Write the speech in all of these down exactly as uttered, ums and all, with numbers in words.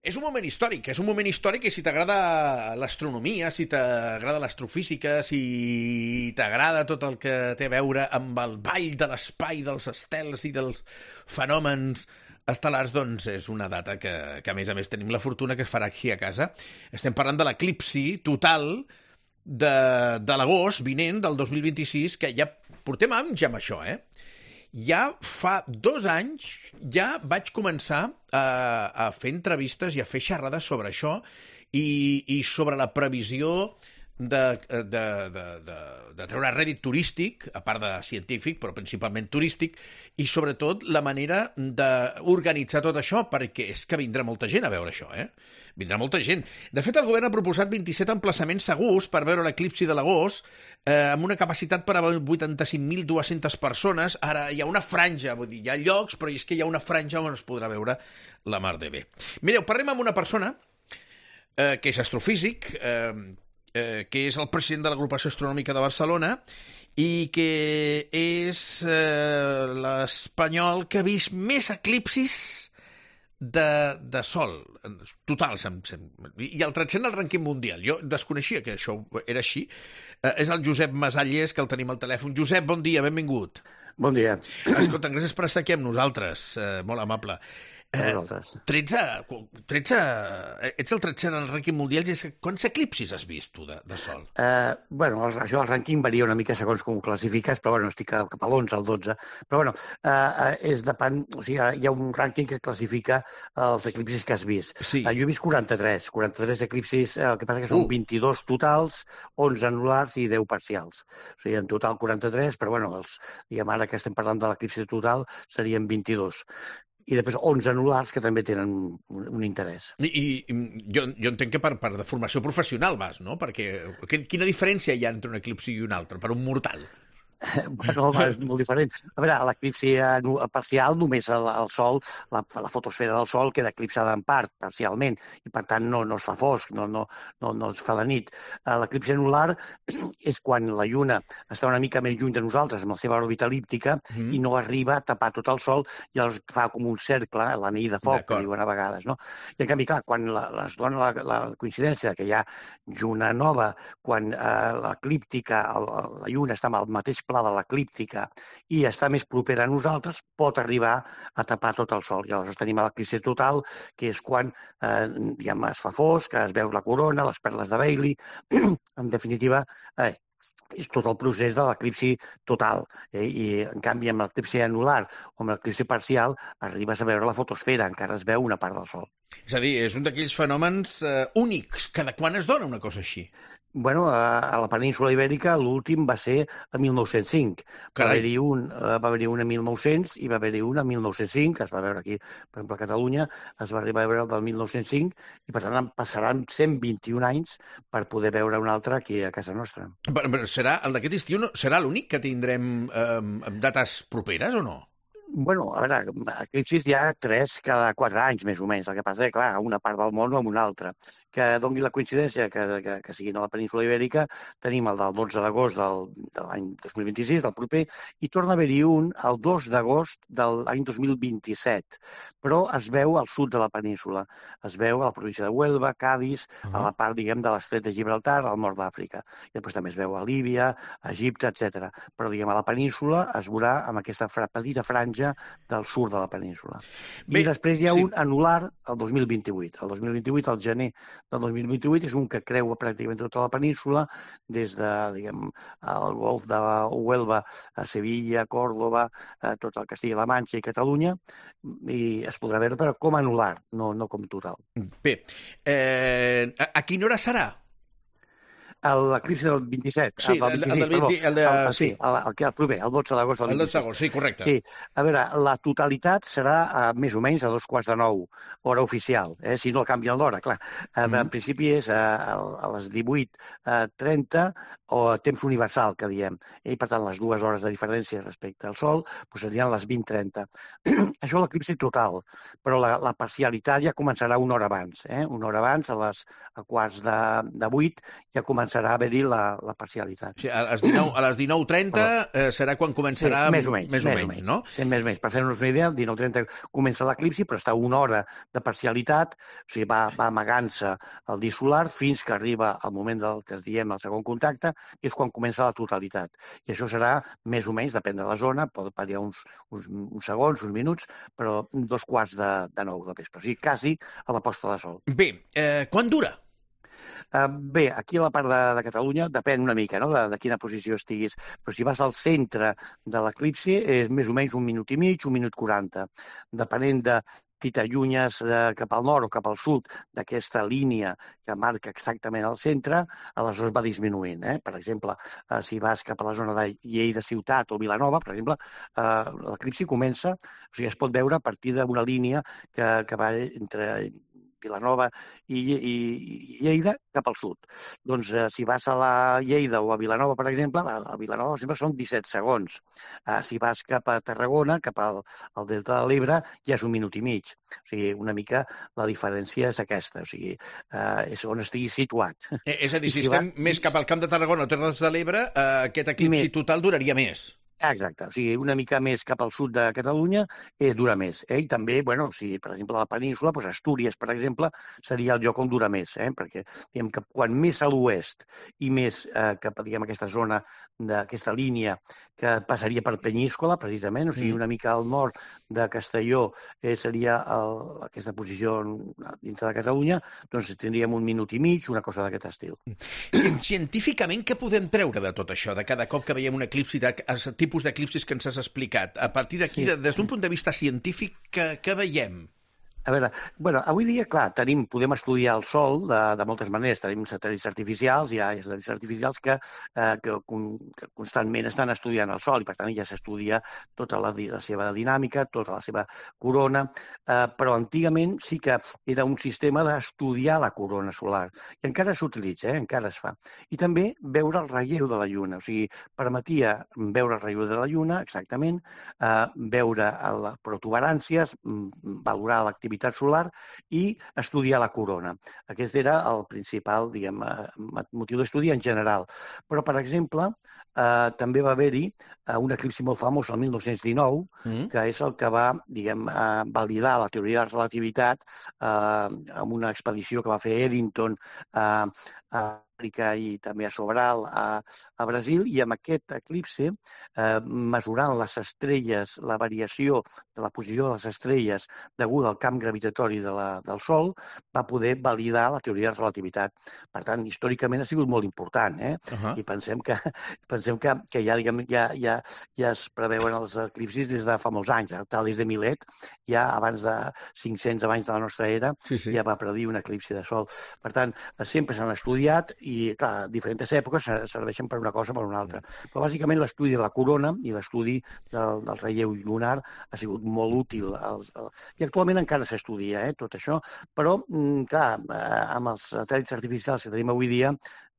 És un moment històric, és un moment històric i si t'agrada l'astronomia, si t'agrada l'astrofísica, si t'agrada tot el que té a veure amb el ball de l'espai, dels estels i dels fenòmens estel·lars, doncs és una data que, que a més a més tenim la fortuna que es farà aquí a casa. Estem parlant de l'eclipsi total de, de l'agost vinent del dos mil vint-i-sis, que ja portem anys amb això, eh? Ja fa dos anys ja vaig començar a, a fer entrevistes i a fer xerrades sobre això i, i sobre la previsió de, de, de, de, de treure rèdit turístic, a part de científic, però principalment turístic, i sobretot la manera d'organitzar tot això, perquè és que vindrà molta gent a veure això, eh? Vindrà molta gent. De fet, el govern ha proposat vint-i-set emplaçaments segurs per veure l'eclipsi de l'agost, eh, amb una capacitat per a vuitanta-cinc mil dues-centes persones. Ara hi ha una franja, vull dir, hi ha llocs, però és que hi ha una franja on es podrà veure la mar de bé. Mireu, parlem amb una persona eh, que és astrofísic, eh, eh, que és el president de l'Agrupació Astronòmica de Barcelona i que és eh, l'espanyol que ha vist més eclipsis de, de sol, total, sem, sem, i el tretzè en el rànquing mundial. Jo desconeixia que això era així. Eh, és el Josep Masalles, que el tenim al telèfon. Josep, bon dia, benvingut. Bon dia. Escolta, gràcies per estar aquí amb nosaltres, eh, molt amable. Eh, tretze, tretze, ets el tretzè en el rànquing mundial. Quants eclipsis has vist, tu, de, de sol? Eh, bueno, això del rànquing varia una mica segons com ho classifiques, però bueno, estic cap a l'onze, al dotze. Però bueno, eh, és depèn, o sigui, hi ha un rànquing que classifica els eclipsis que has vist. Sí. Eh, jo he vist quaranta-tres, quaranta-tres eclipsis, eh, el que passa que són uh. vint-i-dos totals, onze anulars i deu parcials. O sigui, en total quaranta-tres, però bueno, els, diguem, ara que estem parlant de l'eclipsi total, serien vint-i-dos. I després onze anulars que també tenen un, un interès. I, i jo, jo entenc que per, per de formació professional vas, no? Perquè quina diferència hi ha entre un eclipsi i un altre, per un mortal? Bueno, és molt diferent. A veure, l'eclipsi parcial només el, el Sol, la, la fotosfera del Sol queda eclipsada en part, parcialment, i per tant no, no es fa fosc, no, no, no, no es fa de nit. L'eclipsi anular és quan la Lluna està una mica més lluny de nosaltres amb la seva òrbita elíptica mm. i no arriba a tapar tot el Sol i llavors fa com un cercle, l'anell de foc, que diuen a vegades, no? I en canvi, clar, quan la, es dona la, la coincidència que hi ha Lluna nova, quan eh, l'eclíptica, la Lluna està amb el mateix pla de l'eclíptica i està més propera a nosaltres, pot arribar a tapar tot el Sol. I aleshores tenim l'eclipsi total, que és quan eh, diguem, es fa fosc, es veu la corona, les perles de Bailey. En definitiva, eh, és tot el procés de l'eclipsi total. Eh? I, en canvi, amb l'eclipsi anular o amb l'eclipsi parcial, arribes a veure la fotosfera, encara es veu una part del Sol. És a dir, és un d'aquells fenòmens eh, únics. Cada quan es dona una cosa així? Bueno, a la península Ibèrica l'últim va ser a mil nou-cents cinc. Va haver-hi un, va haver-hi un a mil nou-cents i va haver-hi un a mil nou-cents cinc, que es va veure aquí, per exemple, a Catalunya, es va arribar a veure el del mil nou-cents cinc i per tant passaran cent vint-i-un anys per poder veure un altre aquí a casa nostra. Però, però serà, el d'aquest estiu no, serà l'únic que tindrem eh, dates properes o no? Bueno, a veure, eclipsis hi ha tres cada quatre anys, més o menys. El que passa és que, clar, una part del món o amb una altra. Que doni la coincidència que, que, que siguin a la península Ibèrica, tenim el del dotze d'agost del, de l'any dos mil vint-i-sis, del proper, i torna a haver-hi un el dos d'agost de l'any dos mil vint-i-set. Però es veu al sud de la península. Es veu a la província de Huelva, Cádiz, uh-huh. a la part, diguem, de l'estret de Gibraltar, al nord d'Àfrica. I després també es veu a Líbia, a Egipte, etcètera. Però, diguem, a la península es veurà amb aquesta fra, petita franja del sud de la península. Bé, I després hi ha sí. un anular el dos mil vint-i-vuit. El dos mil vint-i-vuit, al gener del dos mil vint-i-vuit, és un que creua pràcticament tota la península, des de, diguem, el golf de Huelva a Sevilla, Còrdova, a tot el Castilla-La Manxa i Catalunya, i es podrà veure, però com anular, no, no com total. Bé, eh, a, a quina hora serà? L'eclipsi del vint-i-set, sí, el del vint-i-sis, el, el, el, de, el, el, sí, el, el, el proper, el dotze d'agost del vint-i-sis. El dotze d'agost, sí, correcte. Sí, a veure, la totalitat serà uh, més o menys a dos quarts de nou, hora oficial, eh? Si no canvien l'hora, clar. Uh, mm. En principi és uh, a les divuit trenta o a temps universal, que diem. I per tant, les dues hores de diferència respecte al Sol doncs serien les vint trenta. Això l'eclipsi total, però la, la parcialitat ja començarà una hora abans. Eh? Una hora abans, a les a quarts de, de vuit, ja començarà començarà a haver-hi la, la parcialitat. Sí, a les dinou, a les dinou trenta eh, serà quan començarà... Sí, més o menys, més o més menys, o menys, no? Sí, més o menys. Per fer-nos una idea, el dinou trenta comença l'eclipsi, però està una hora de parcialitat, o sigui, va, va amagant-se el disc solar fins que arriba al moment del que es diem el segon contacte, que és quan comença la totalitat. I això serà més o menys, depèn de la zona, pot variar uns, uns, uns segons, uns minuts, però dos quarts de, de nou del vespre. O sigui, quasi a la posta de sol. Bé, eh, quan dura? Uh, bé, aquí a la part de, de Catalunya depèn una mica, no?, de, de quina posició estiguis, però si vas al centre de l'eclipsi és més o menys un minut i mig, un minut quaranta, depenent de si t'allunyes eh, cap al nord o cap al sud d'aquesta línia que marca exactament el centre, aleshores va disminuint. Eh? Per exemple, eh, si vas cap a la zona de Lleida Ciutat o Vilanova, per exemple, eh, l'eclipsi comença, o sigui, es pot veure a partir d'una línia que, que va entre Vilanova i, i, i Lleida cap al sud. Doncs eh, si vas a la Lleida o a Vilanova, per exemple, a Vilanova sempre són disset segons. Eh, si vas cap a Tarragona, cap al, al Delta de l'Ebre, ja és un minut i mig. O sigui, una mica la diferència és aquesta, o sigui, eh, és on estiguis situat. Eh, és a dir, si, si estem va... més cap al Camp de Tarragona o Terres de l'Ebre, eh, aquest eclipsi Més... total duraria més. Exacte, o sigui, una mica més cap al sud de Catalunya eh, dura més. Eh? I també, bueno, si per exemple a la península, doncs Astúries, per exemple, seria el lloc on dura més, eh? Perquè diguem que quan més a l'oest i més eh, cap a diguem, aquesta zona, d'aquesta línia que passaria per Penyíscola, precisament, o sigui, una mica al nord de Castelló eh, seria el, aquesta posició dintre de Catalunya, doncs tindríem un minut i mig, una cosa d'aquest estil. Científicament, què podem treure de tot això, de cada cop que veiem un eclipsi, de tipus d'eclipsis que ens has explicat? A partir d'aquí, sí. Des d'un punt de vista científic, què, què veiem? A veure, bueno, avui dia, clar, tenim, podem estudiar el Sol de, de moltes maneres. Tenim satèl·lits artificials, hi ha satèl·lits artificials que, eh, que, que constantment estan estudiant el Sol i, per tant, ja s'estudia tota la, la seva dinàmica, tota la seva corona, eh, però antigament sí que era un sistema d'estudiar la corona solar. I encara s'utilitza, eh, encara es fa. I també veure el relleu de la Lluna, o sigui, permetia veure el relleu de la Lluna, exactament, eh, veure les protuberàncies, valorar l'activitat solar i estudiar la corona. Aquest era el principal, diguem, motiu d'estudi en general. Però, per exemple, eh, també va haver-hi un eclipsi molt famós el mil nou-cents dinou, mm. que és el que va, diguem, eh, validar la teoria de la relativitat eh, amb una expedició que va fer Eddington eh, a Àfrica i també a Sobral, a, a Brasil, i amb aquest eclipsi, eh, mesurant les estrelles, la variació de la posició de les estrelles deguda al camp gravitatori de la, del Sol, va poder validar la teoria de relativitat. Per tant, històricament ha sigut molt important, eh? Uh-huh. I pensem que, pensem que, que ja, diguem, ja, ja, ja es preveuen els eclipsis des de fa molts anys. Tal des de Milet, ja abans de cinc-cents anys de la nostra era, sí, sí. ja va predir un eclipsi de Sol. Per tant, sempre s'han estudiat i, clar, diferents èpoques serveixen per una cosa o per una altra. Però, bàsicament, l'estudi de la corona i l'estudi del, del relleu lunar ha sigut molt útil. El, el... I actualment encara s'estudia, eh, tot això, però, clar, amb els satèl·lits artificials que tenim avui dia,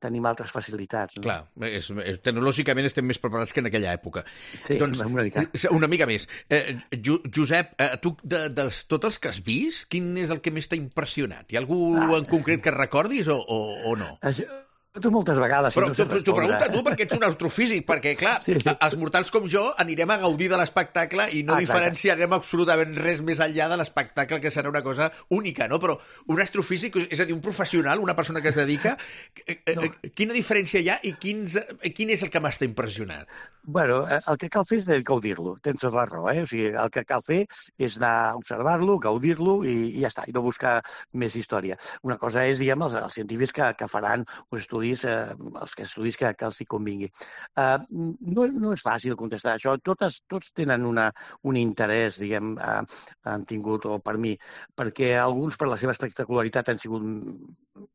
tenim altres facilitats. No? Clar, és, és, tecnològicament estem més preparats que en aquella època. Sí, doncs, una mica. Una mica més. Eh, Josep, eh, tu, de, de tots els que has vist, quin és el que més t'ha impressionat? Hi ha algú ah, en concret que recordis o, o, o no? Això... Tu moltes vegades... Però si no t'ho pregunta tu, perquè ets un astrofísic, perquè, clar, sí. els mortals com jo anirem a gaudir de l'espectacle i no ah, diferenciarem absolutament res més enllà de l'espectacle, que serà una cosa única, no? Però un astrofísic, és a dir, un professional, una persona que es dedica, no. Quina diferència hi ha i quins, quin és el que m'ha estat impressionat? Bueno, el que cal fer és gaudir-lo, tens tota la raó, eh? O sigui, el que cal fer és anar a observar-lo, gaudir-lo i, i ja està, i no buscar més història. Una cosa és, diguem, els, els científics que, que faran uns estudis Eh, els que estudis que, que els hi convingui. Eh, no, no és fàcil contestar això. Totes, tots tenen una, un interès, diguem, eh, han tingut, o per mi, perquè alguns per la seva espectacularitat han sigut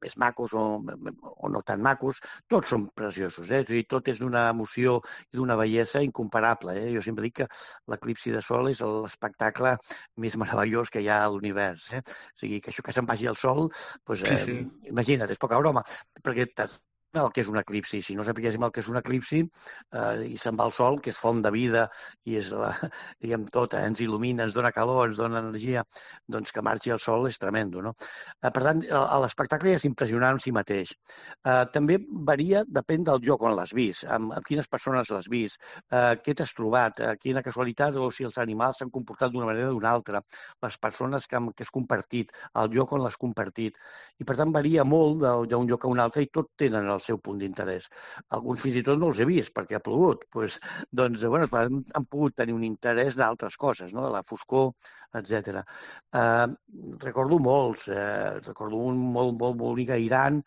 més macos o, o no tan macos. Tots són preciosos, eh? Tot és d'una emoció i d'una bellesa incomparable. Eh? Jo sempre dic que l'eclipsi de Sol és l'espectacle més meravellós que hi ha a l'univers. Eh? O sigui, que això que se'n vagi al Sol, doncs, eh, sí, sí. Imagina't, és poca broma, perquè el que és un eclipsi. Si no sapiguéssim el que és un eclipsi eh, i se'n va el sol, que és font de vida i és, la, diguem, tot, eh, ens il·lumina, ens dona calor, ens dona energia, doncs que marxi el sol és tremendo, no? Eh, per tant, l'espectacle és impressionant en si mateix. Eh, també varia, depèn del lloc on l'has vist, amb, amb quines persones l'has vist, eh, què t'has trobat, eh, quina casualitat, o si els animals s'han comportat d'una manera o d'una altra, les persones que, que has compartit, el lloc on l'has compartit. I per tant varia molt d'un lloc a un altre i tot tenen el seu punt d'interès. Alguns fins i tot no els he vist perquè ha plogut. Pues, doncs, bueno, han, han pogut tenir un interès d'altres coses, no? De la foscor, etcètera. Eh, recordo molts. Eh, recordo un molt, molt bonic a Iran,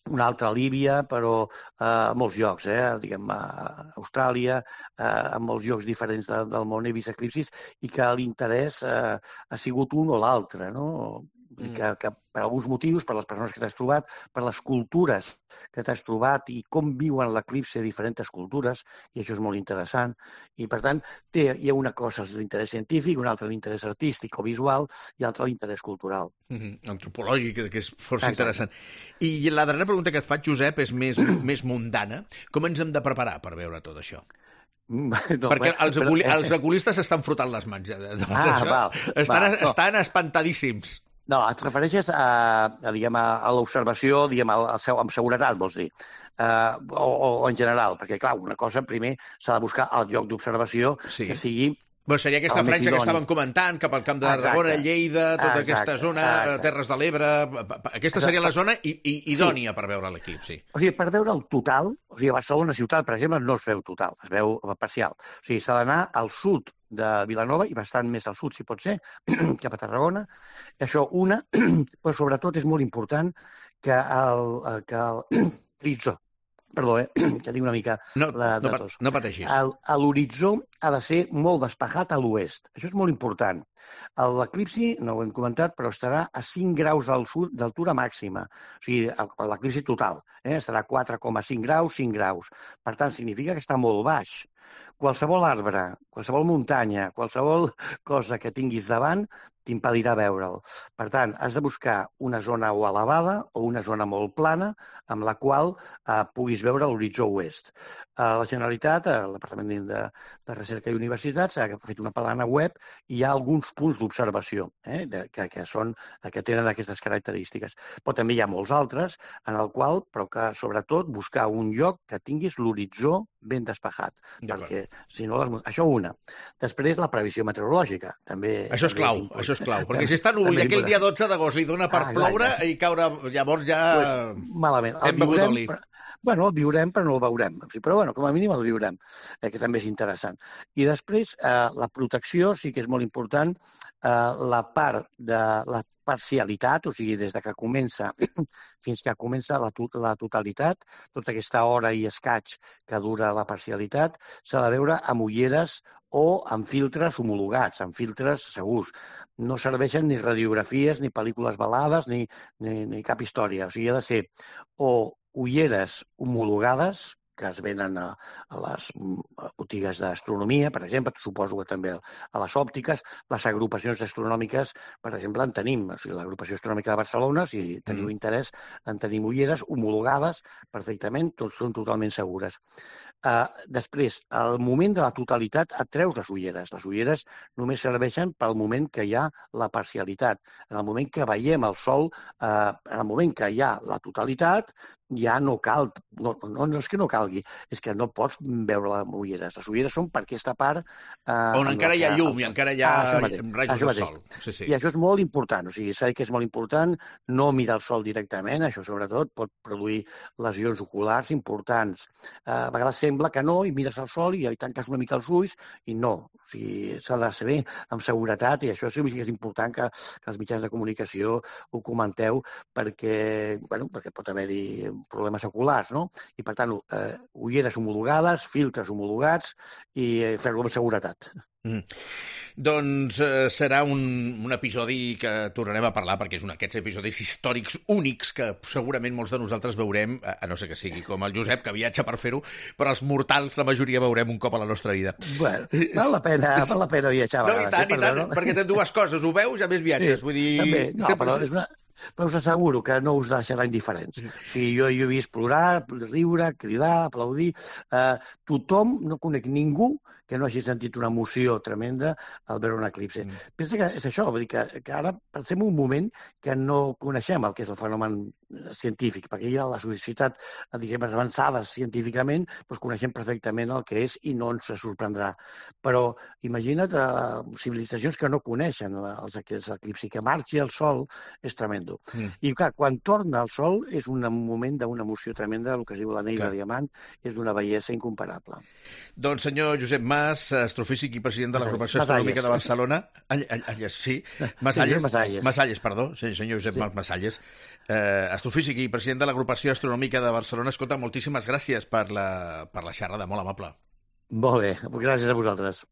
un altre a Líbia, però eh, a molts llocs, eh? Diguem, a Austràlia, eh, en molts llocs diferents de, del món he vist eclipsis i que l'interès eh, ha sigut un o l'altre, no? Mm. Que, que per alguns motius, per les persones que t'has trobat, per les cultures que t'has trobat i com viuen l'eclipsi diferents cultures, i això és molt interessant. I, per tant, té, hi ha una cosa d'interès científic, una altra d'interès artístic o visual i altra d'interès cultural. Mm-hmm. Antropològic, que és força Exacte. Interessant. I la darrera pregunta que et faig, Josep, és més, més mundana. Com ens hem de preparar per veure tot això? No, perquè els, però... els oculistes s'estan frotant les mans. De, de ah, val, estan, val, estan no. espantadíssims. No, et refereixes a, a, diguem, a, a l'observació, diguem, a, a seu, amb seguretat, vols dir, uh, o, o en general, perquè, clar, una cosa, primer, s'ha de buscar el lloc d'observació sí. que sigui... Bueno, seria aquesta franja que estàvem comentant, cap al Camp de Tarragona, Lleida, tota exacte, aquesta zona, exacte. Terres de l'Ebre... Aquesta exacte. Seria la zona i, i, idònia sí. per veure l'equip, sí. O sigui, per veure el total, o sigui, a Barcelona ciutat, per exemple, no es veu total, es veu parcial. O sigui, s'ha d'anar al sud de Vilanova i bastant més al sud, si pot ser, cap a Tarragona. I això, una, però sobretot és molt important que el, que el horitzó, perdó, eh, que tinc una mica no, la no, no pateixis. L'horitzó ha de ser molt despejat a l'oest. Això és molt important. L'eclipsi, no ho hem comentat, però estarà a cinc graus d'altura màxima. O sigui, l'eclipsi total eh, estarà a quatre coma cinc graus, cinc graus. Per tant, significa que està molt baix. Qualsevol arbre, qualsevol muntanya, qualsevol cosa que tinguis davant t'impedirà veure'l. Per tant, has de buscar una zona o elevada o una zona molt plana amb la qual eh, puguis veure l'horitzó oest. Eh, la Generalitat, el Departament de, de Recerca i Universitats, ha fet una plana web i hi ha alguns punts d'observació eh, que, que, són, que tenen aquestes característiques. Però també hi ha molts altres en el qual, però que sobretot buscar un lloc que tinguis l'horitzó ben despejat. Perquè, si no, les... això una. Després, la previsió meteorològica. També, això és també clau, és això és clau. Perquè si està núvol i aquell dia dotze d'agost li dona per ah, ploure i caure, llavors ja pues, malament. Hem begut oli. Però, bueno, el viurem, però no el veurem. Però, bueno, com a mínim el viurem, eh, que també és interessant. I després, eh, la protecció sí que és molt important. Eh, la part de la parcialitat, o sigui, des de que comença fins que comença la, la totalitat, tota aquesta hora i escaig que dura la parcialitat, s'ha de veure amb ulleres o amb filtres homologats, amb filtres segurs. No serveixen ni radiografies, ni pel·lícules velades, ni, ni, ni cap història. O sigui, ha de ser o ulleres homologades, que es venen a, a les botigues d'astronomia, per exemple, suposo que també a les òptiques, les agrupacions astronòmiques, per exemple, en tenim, o sigui, l'agrupació astronòmica de Barcelona, si teniu mm. interès, en tenim ulleres homologades perfectament, tots són totalment segures. Uh, després, al moment de la totalitat et treus les ulleres. Les ulleres només serveixen pel moment que hi ha la parcialitat. En el moment que veiem el sol, uh, en el moment que hi ha la totalitat, ja no cal, no, no, no és que no calgui, és que no pots veure les ulleres. Les ulleres són per aquesta part... Eh, on encara hi ha llum i encara hi ha ah, rajos del sol. Sí, sí. I això és molt important, o sigui, s'ha dit que és molt important no mirar el sol directament, això sobretot pot produir lesions oculars importants. Eh, a vegades sembla que no, i mires el sol i tanques una mica els ulls, i no. O sigui, s'ha de saber amb seguretat, i això sí que és important que, que els mitjans de comunicació ho comenteu, perquè, bueno, perquè pot haver-hi problemes oculars, no? I, per tant, eh, ulleres homologades, filtres homologats i eh, fer-ho amb seguretat. Mm. Doncs eh, serà un, un episodi que tornarem a parlar, perquè és un d'aquests episodis històrics únics que segurament molts de nosaltres veurem, a no ser que sigui com el Josep, que viatja per fer-ho, però els mortals, la majoria, veurem un cop a la nostra vida. Bueno, val la pena, val la pena viatjar a vegades. No, i tant, eh, i tant, no? Perquè té dues coses, ho veus i a més viatges. Sí, vull dir... també. No, sempre... però és una... Però us asseguro que no us deixarà indiferents. O sigui, jo, jo he vist plorar, riure, cridar, aplaudir. Eh, tothom, no conec ningú que no hagi sentit una emoció tremenda al veure un eclipsi. Mm. Pensa que és això, vull dir que, que ara pensem un moment que no coneixem el que és el fenomen científic, perquè ja la societat, diguem, avançades científicament, doncs coneixem perfectament el que és i no ens sorprendrà. Però imagina't eh, civilitzacions que no coneixen els, els eclipsis, que marxi el sol és tremendo. Mm. I clar, quan torna el sol és un moment d'una emoció tremenda, el que es diu l'anell de diamant, és d'una bellesa incomparable. Doncs senyor Josep Mas, astrofísic i president de l'Agrupació Astronòmica de Barcelona. Alles, sí. Masalles. Masalles. Masalles, perdó. Sí, senyor Josep sí. Masalles. Eh, astrofísic i president de l'Agrupació Astronòmica de Barcelona. Escolta, moltíssimes gràcies per la, per la xerrada, molt amable. Molt bé, gràcies a vosaltres.